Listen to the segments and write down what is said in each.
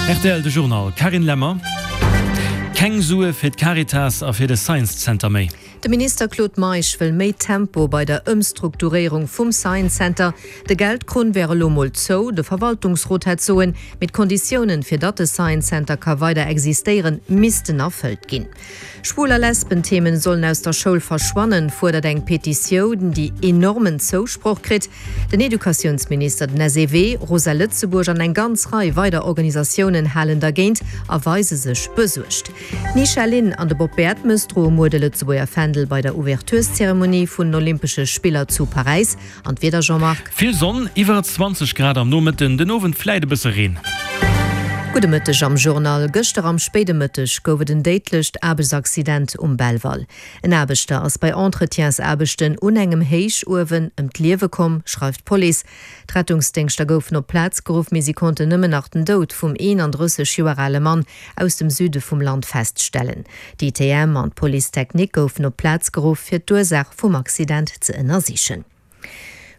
Rtl, De Journal, Carine Lemmer. Keng Sue fir d'Caritas a fir de Science Center méi. De Minister Claude Meisch wëll méi Tempo bei der Ëmstrukturéierung vum Science Center. De Geldkrunn wär elo mol zou, de Verwaltungsrot hätt soen, mee d'Konditiounen, fir datt de Science Center ka weider existéieren, missten erfëllt ginn. Schwul a Lesbenthemen sollen aus der Schoul verschwannen, fuerdert eng Petitioun, déi enormen Zousproch kritt. Den Educatiounsminister, den SEW, Rosa Lëtzebuerg an eng ganz Rei weider Organisatiounen halen dergéint a weise sech besuergt. D'Nisha Lin an de Bob Bertemes droe muer de Lëtzebuerger Fändel bei der Ouvertureszeremonie vun den Olympesche Spiller zu Paräis. An d'Wieder, Jean-Marc? Vill Sonn, iwwer 20 Grad am Nomëtten, den Owend vläit e bësse Reen. Gudde Mëtteg am Journal. Gëschter am spéide Mëtteg gouf et en déidlecht Aarbechtsaccident um Belval. En Aarbechter ass bei Entretiensaarbechten un engem Héichuewen ëm d'Liewe komm, schreift d'Police. D'Rettungsdéngschter goufen op d'Plaz geruff, mee si konnten nëmmen nach den Doud vum 31 Joer ale Mann aus dem Süde vum Land feststellen. D'ITM an d'Police technique goufen op d'Plaz geruff, fir d'Ursaach vum Accident ze ënnersichen.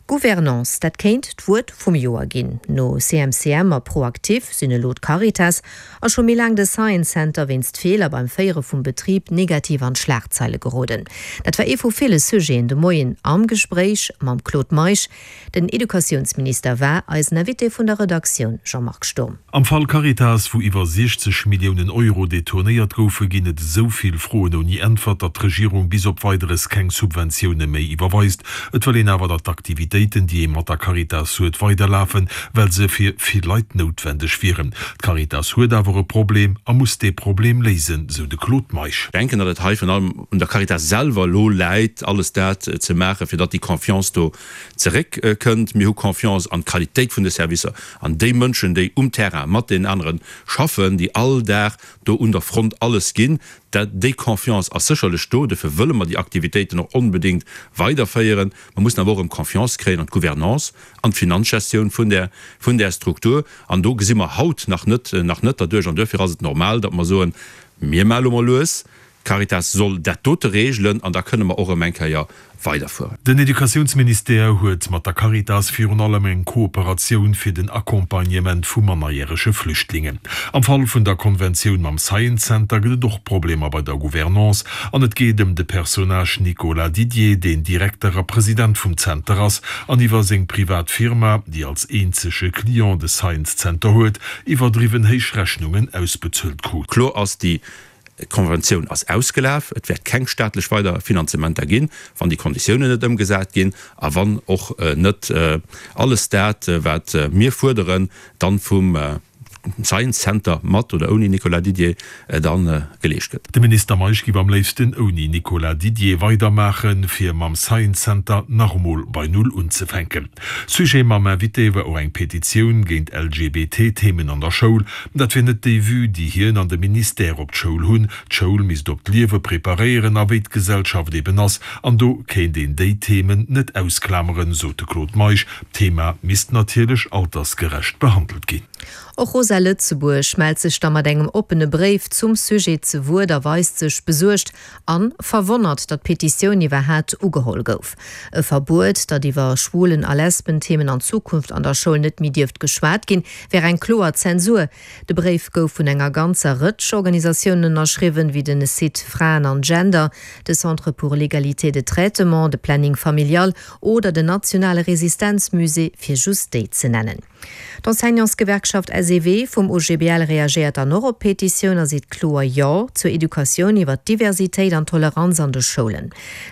Gouvernance, dat kéint d'Wuert vum Joer ginn. No CMCM a ProActif sinn elo d'Caritas a scho méi laang de Science Center wéinst Feeler beim Féiere vum Betrib negativ an d'Schlagzeile geroden. Dat war ee vu ville Sujeten de Moien am Gespréich mam Claude Meisch. Den Educatiounsminister war eisen Invité vun der Redaktioun, Jean-Marc Sturm. Am Fall Caritas, wou iwwer 60 Milliounen Euro detournéiert goufen, ginn et esou vill Froen ouni Äntwert, datt d'Regierung bis op Weideres keng Subventioune méi iwwerweist. Et wëll een awer, datt d'Aktivitéiten, déi ee mat der Caritas huet, weiderlafen, well se fir vill Leit noutwendeg wieren. D'Caritas huet awer e Problem a muss dee Problem léisen, sou de Claude Meisch. Ech denken, datt et hei virun allem un der Caritas selwer elo läit, alles dat ze maachen, fir datt déi Confiance do zeréck kënnt. Mir hu Confiance an d'Qualitéit vun de Servicer, an déi Mënschen, déi um Terrain mat deenen anere schaffen, déi all Dag do un der Front alles ginn. Dat, déi Confiance ass sécherlech do. Dofir wëlle mer déi Aktivitéiten och onbedéngt weiderféieren. Mer mussen awer och erëm Confiance kréien an d'Gouvernance, an d'Finanzgestioun vun där, vun där Struktur. An do gesi mer haut nach net, nach net derduerch. An duerfir ass et normal, datt mer soen, Mir maache lo mol lues, D'Caritas soll dat dote regelen an da kënne mer och erëm eng Kéier weiderfueren. Den Educatiounsministère huet mat der Caritas virun allem eng Kooperatioun fir den Accompagnement vu mannerjärege Flüchtlingen. Am Fall vun der Konventioun mam Science Center gëtt et och Problemer bei der Gouvernance an et geet ëm de Personnage Nicolas Didier, deen Direkter a President vum Zenter ass an iwwer seng privat Firma, déi als eenzege Client de Science Center huet, iwwerdriwwen héich Rechnungen ausbezuelt krut. Kloer ass, déi D'Konventioun ass ausgelaf. Et wäert keng staatlech weider Finanzementer ginn, wann déi Konditiounen net ëmgesat ginn a wann och net alles dat, wat mir fuerderen, dann vum Science Center mat oder ouni Nicolas Didier da geleescht gëtt. De Minister Meisch giff am léifsten ouni Nicolas Didier weidermaachen, fir mam Science Center nach emol bei Null unzefänken. Sujet mam Invité war och eng Petitioun géint LGBT-Themen an der Schoul. Dat wier net déi Vue, déi hien an de Ministère op d'Schoul hunn. D'Schoul misst op d'Liewe preparéieren a wéi d'Gesellschaft eben ass, an do kéint een déi Themen net ausklameren, sot de Claude Meisch. D'Thema misst natierlech altersgerecht behandelt ginn. Och Rosa Lëtzebuerg mellt sech da mat engem oppene Bréif zum Sujet ze Wuert a weist sech besuergt An verwonnert, datt d'Petitioun iwwerhaat ugeholl gouf. E Verbuet, datt iwwer Schwulen a Lesbenthemen an Zukunft an der Schoul net méi dierft geschwat ginn, wär eng kloer Zensur. De Bréif gouf vun enger ganzer Rëtsch Organisatiounen ënnerschriwwen, wéi den Site Fraen an Gender, de Centre pour l'égalité de traitement, de Planning familial oder den nationale Resistenzmusée, fir just déi ze nennen. D'Enseignantsgewerkschaft SEW vum OGBL reagéiert dann och op d'Petitioun a seet kloer Jo zur Educatioun iwwer d'Diversitéit an Toleranz an de Schoulen.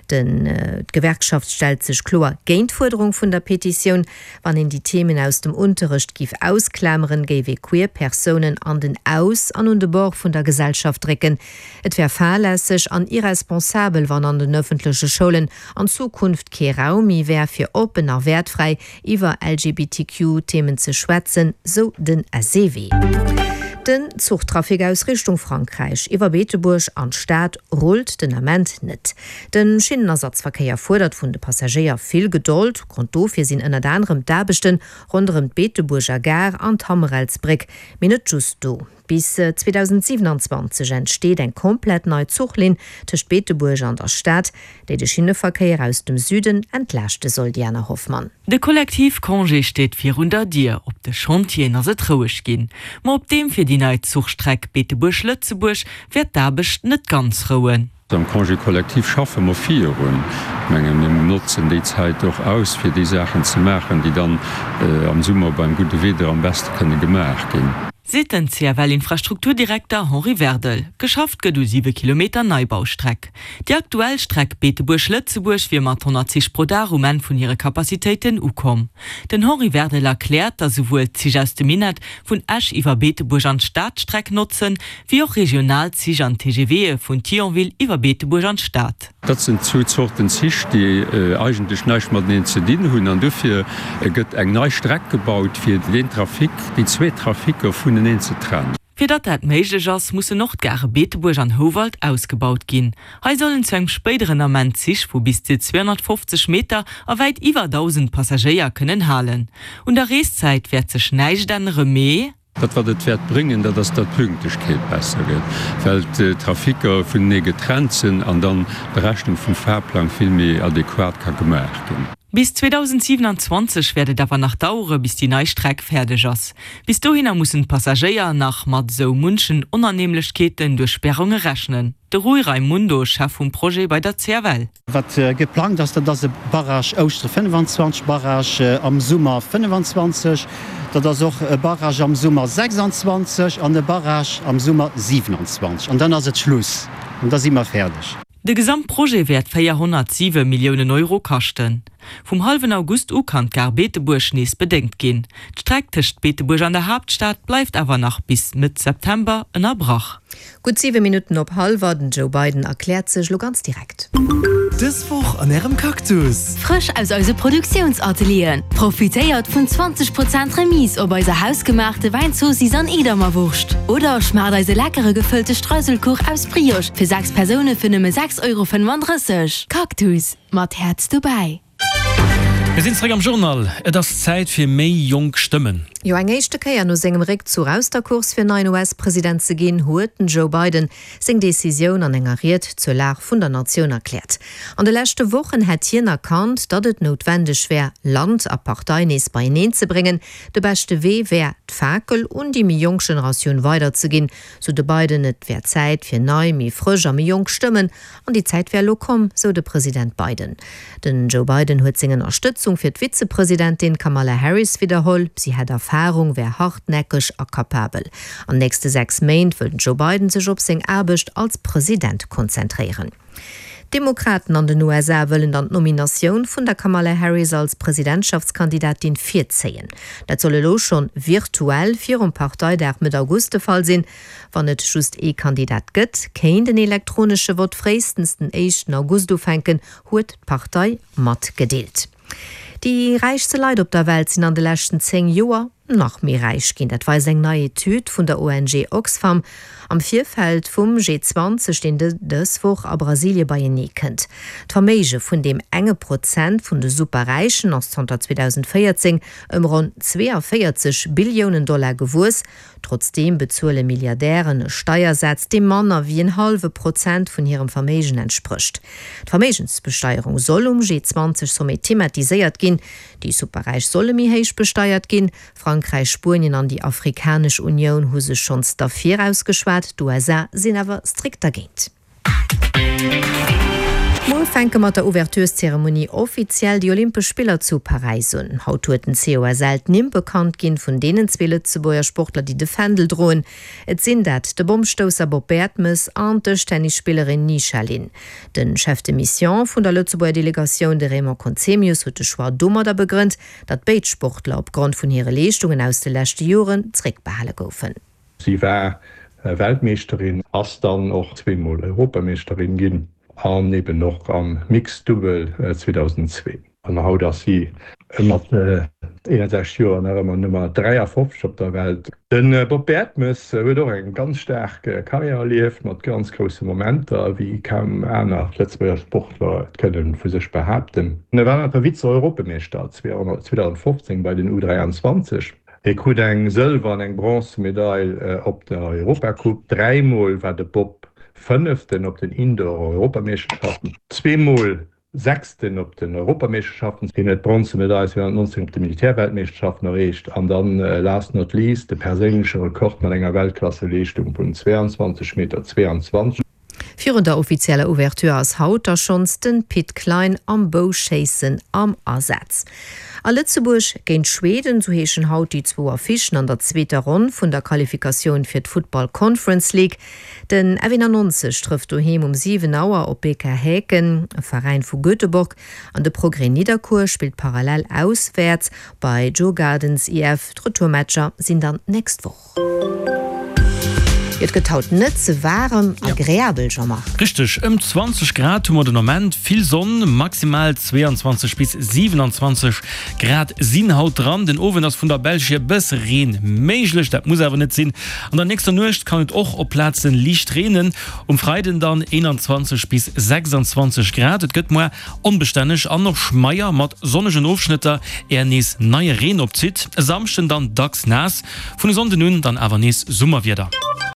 D'Gewerkschaft stellt sech kloer géint d'Fuerderung vun der Petitioun. Wann een déi Themen aus dem Unterrecht giff ausklameren, géif ee queer Persounen an den Aus an un de Bord vun der Gesellschaft drécken. Et wär fahrlässeg an irresponsabel, wann an den ëffentleche Schoulen an Zukunft kee Raum méi wär fir oppen a wäertfräi iwwer LGBTQ-Themen ze schwätzen, sou den SEW. Den Zuchtrafic aus Richtung Frankräich iwwer Beetebuerg an d'Stad rullt den Ament net. De Schinnenersatzverkéier fuerdert vun de Passagéier vill Gedold. Grond dofir sinn ënnert anerem d'Aarbechte ronderëm d'Beetebuerger Gare an d'Hammerelsbréck. Mee net just do. Bis 2027 entsteet eng komplett nei Zuchlinn tëscht Beetebuerg an der Stad, déi de Schinneverkéier aus dem Süden entlaaschte soll. Diana Hoffmann. De Kollektivcongé steet virun der Dier. Op de Chantieren ass et roueg ginn. Ma op deem fir déi nei Zuchstreck Beetebuerg-Lëtzebuerg wäert d'Aarbecht net ganz rouen. Am Congé collectif schaffe mer virun. Ech menge mir notzen déi Zäit och aus, fir déi Saachen ze maachen, déi dann am Summer beim gudde Wieder am beste kënne gemaach ginn. Seet den CFL-Infrastrukturdirekter Henri Werdel. Geschafft gëtt u siwe Kilometer Neibaustreck. Déi aktuell Streck Beetebuerg-Lëtzebuerg wier mat 100 Zich pro Dag um Enn vun hire Capacitéiten ukomm. Den Henri Werdel erkläert, datt esouwuel d'Zich aus dem Minett vun Esch iwwer Beetebuerg an d'Stad d'Streck notzen, wéi och regional Zich an TGVe vun Thionville iwwer Beetebuerg an d'Stad. Dat sinn zwou Zorten Zich, déi eigentlech näischt mateneen ze dinn hunn an dofir gëtt eng nei Streck gebaut, fir deen Trafic, déi zwee Traficker vuneneen ze trennen. Fir datt dat méiglech ass, mussen och d'Gare Beetebuerg an Houwald ausgebaut ginn. Hei sollen zu engem spéideren Ament Zich vu bis zu 250 Meter a wäit iwwer 1.000 Passagéier kënnen halen. Un der Reeszäit wäert sech näischt ännere, mee. Dat wat et wäert bréngen, dat ass, datt d'Pünktlechkeet besser gëtt, well d'Traficker vunenee getrennt sinn an dann d'Berechnung vum Fahrplang vill méi adequat ka gemaach ginn. Bis 2027 wäert et awer nach dauere bis déi nei Streck fäerdeg ass. Bis dohinner mussen d'Passagéier nach mat esou munchen Onannehmlechkeeten duerch Sperrunge rechnen. De Rui Raimundo, Chef vum Projet bei der CFL. Wat geplangt ass, dat ass e Barrage Ouschtere 25, Barrage am Summer 25, dat ass och e Barrage am Summer 26 an e Barrage am Summer 27. An dann ass et Schluss an da si mer fäerdeg. De Gesamtprojet wäert 407 Milliounen Euro kaschten. Vum hallwen August u kann d'Gare Beetebuerg nees bedéngt ginn. D'Streck tëscht Beetebuerg an der Haaptstad bleift awer nach bis Mëtt September ënnerbrach. Gutt 7 Minutten op hallwer, den Joe Biden erkläert sech elo ganz direkt. Dës Woch an Ärem Cactus! Frësch aus eise Produktiounsatelieren! Profitéiert vun 20 Prozent Remise op eiser hausgemaachte Wäinzoossiss an Edamer Wurscht. Oder schmaacht eise leckere gefëllte Streuselkuch aus Brioche fir 6 Persoune fir nëmme 6,35 Euro. Cactus, mat Häerz dobäi! Mir sinn zeréck am Journal. Et ass Zäit fir méi jonk Stëmmen. Jo, eng éischte Kéier no sengem Réckzuch aus der Course fir neien US-President ze ginn, huet den Joe Biden seng Decisioun an enger Ried zur Lag vun der Natioun erkläert. An de leschte Wochen hätt hien erkannt, datt et noutwendeg wär, Land a Partei nees beieneen ze bréngen. De beschte Wee wär, d'Fakel un déi méi jonk Generatioun weiderzeginn, sou de Biden. Et wär Zäit fir nei, méi frësch a méi jonk Stëmmen. An déi Zäit wär elo komm, sou de President Biden. Den Joe Biden huet seng Ënnerstëtzung fir d'Vizepresidentin Kamala Harris widderholl. Si hätt Erfarung, wär hartnäckeg a kapabel. An nächste 6 Méint wëll den Joe Biden sech op seng Aarbecht als President konzentréieren. D'Demokraten an den USA wëllen dann d'Nominatioun vun der Kamala Harris als Presidentschaftskandidatin virzéien. Dat soll elo schonn virtuell virum Parteidag Mëtt August de Fall sinn. Wann et just ee Kandidat gëtt, kéint en elektronesche Vott fréistens den éischten August ufänken, huet d'Partei matgedeelt. Déi räichste Leit op der Welt sinn an de leschten 10 Joer nach méi räich ginn. Dat weist eng nei Etüd vun der ONG Oxfam am Virfeld vum G20, deen dës Woch a Brasilie beienee kënnt. D'Verméige vun deem enge Prozent vun de Superräichen ass zanter 2014 ëm ronn 42 Billiounen Dollar gewuess. Trotzdeem bezuele Milliardären e Steiersaz, dee manner wéi en hallwe Prozent vun hirem Verméigen entsprécht. D'Verméigensbesteierung soll um G20-Sommet thematiséiert ginn. Déi Superräich solle méi héich besteiert ginn. Frankräich, Spuenien an déi Afrikanesch Unioun hu sech schonns derfir ausgeschwat, d'USA sinn awer strikt dergéint. Muer fänke mat der Ouvertureszeremonie offiziell déi Olympesch Spiller zu Paräis un. Haut huet den COSL d'Nimm bekannt ginn vun deenen zwee Lëtzebuerger Sportler, déi de Fändel droen. Et sinn dat de Bommstousser Bob Bertemes an d'Dëschtennisspillerin Ni Sha Lin. De Chef de Mission vun der Lëtzebuerger Delegatioun, de Raymond Conzemius, huet de Choix domadder begrënnt, datt béid Sportler opgrond vun hire Leeschtungen aus de leschte Joren zréckbehale goufen. Si war Weltmeeschterin, ass dann och zweemol Europameeschterin ginn an eben och am Mixed Dubbel 2002. An haut ass si mat 61 Joer nach ëmmer Nummer 53 op der Welt. De Bob Bertemes huet och eng ganz staark Karriär erlieft, mat ganz grousse Momenter, wéi kaum aner Lëtzebuerger Sportler et kënne vu sech behaapten. E war awer Vize-Europameeschter 2015 bei den U23. Hie krut eng Sëlwer an eng Bronzemedail op der Europacoupe. Dräimol war de Bob Fënneften op den Indoor-Europameeschterschaften, zweemol Sechsten op den Europameeschterschaften. Hien huet d'Bronzemedail 2019 op de Militärweltmeeschterschaften erreecht an dann, last not least, de perséinleche Rekord mat enger Weltklasseleeschtung vun 22 Meter 22. Virun der offizieller Ouverture ass haut da schonns den Pit Klein am Bouschéissen am Asaz. A Lëtzebuerg géint Schweden, sou heeschen haut déi zwou Affichen an der zweeter Ronn vun der Qualifikatioun fir d'Football Conference League. Den F91 trëfft doheem um 7 Auer op BK Häcken, e Veräin vu Göteborg, an de Progrès Nidderkuer spillt parallel auswäerts bei Djurgardens IF. D'Retourmatcher sinn dann d'nächst Woch. Et gëtt haut net ze waarem, agreabel, Jean-Marc. Richteg, ëm 20 Grad hu mer den Ament, vill Sonn, maximal 22 bis 27 Grad sinn haut dran. Den Owend ass vun der Belsch hier bësse Reen méiglech, dat muss awer net sinn. An der nächster Nuecht kann et och op Plaze liicht reenen. Um Freiden dann 21 bis 26 Grad. Et gëtt moar onbestänneg an och schmeier mat sonnegen Ofschnëtter, är nees neie Reen opzitt. E Samschden dann dacks naass, vun e Sonnden un dann awer nees Summerwieder.